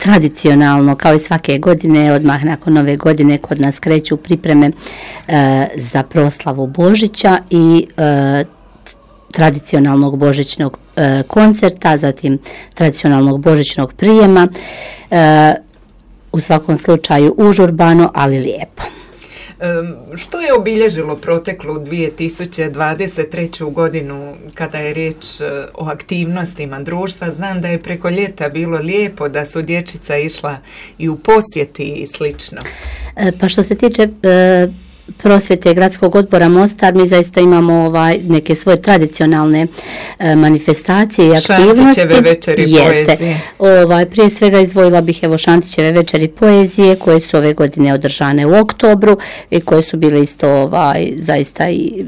tradicionalno, kao i svake godine, odmah nakon Nove godine kod nas kreću pripreme za proslavu Božića i tradicionalnog božićnog koncerta, zatim tradicionalnog božićnog prijema, u svakom slučaju užurbano, ali lijepo. Što je obilježilo proteklu 2023. godinu kada je riječ o aktivnostima društva? Znam da je preko ljeta bilo lijepo, da su dječica išla i u posjeti i slično. Pa što se tiče prosvjete Gradskog odbora Mostar, mi zaista imamo neke svoje tradicionalne manifestacije i aktivnosti. Šantićeve večeri poezije. Prije svega izdvojila bih Šantićeve večeri poezije koje su ove godine održane u oktobru i koje su bile isto zaista i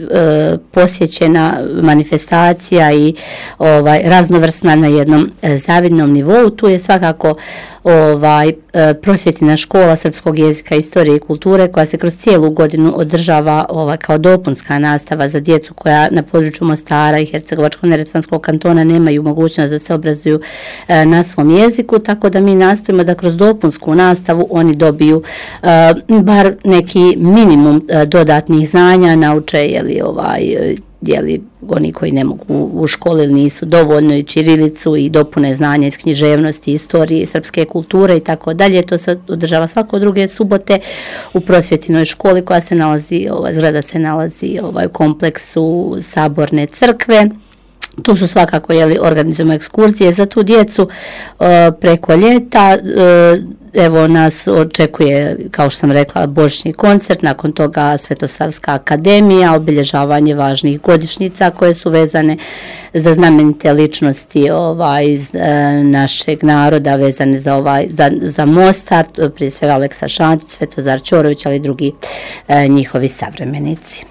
posjećena manifestacija i raznovrsna na jednom zavidnom nivou. Tu je svakako prosvjetina škola srpskog jezika, istorije i kulture koja se kroz cijelu godinu održava kao dopunska nastava za djecu koja na području Mostara i Hercegovačko-neretvanskog kantona nemaju mogućnost da se obrazuju na svom jeziku, tako da mi nastojimo da kroz dopunsku nastavu oni dobiju bar neki minimum dodatnih znanja, nauče oni koji ne mogu u školi ili nisu dovoljno i ćirilicu i dopune znanja iz književnosti, istorije, srpske kulture i tako dalje. To se održava svako druge subote u prosvjetinoj školi koja se nalazi, zgrada se nalazi u kompleksu Saborne crkve. Tu su svakako organizujemo ekskurzije za tu djecu preko ljeta. Evo nas očekuje, kao što sam rekla, božićni koncert, nakon toga Svetosavska akademija, obilježavanje važnih godišnjica koje su vezane za znamenite ličnosti iz našeg naroda, vezane za Mostar, prije svega Aleksa Šantić, Svetozar Ćorović, ali i drugi njihovi savremenici.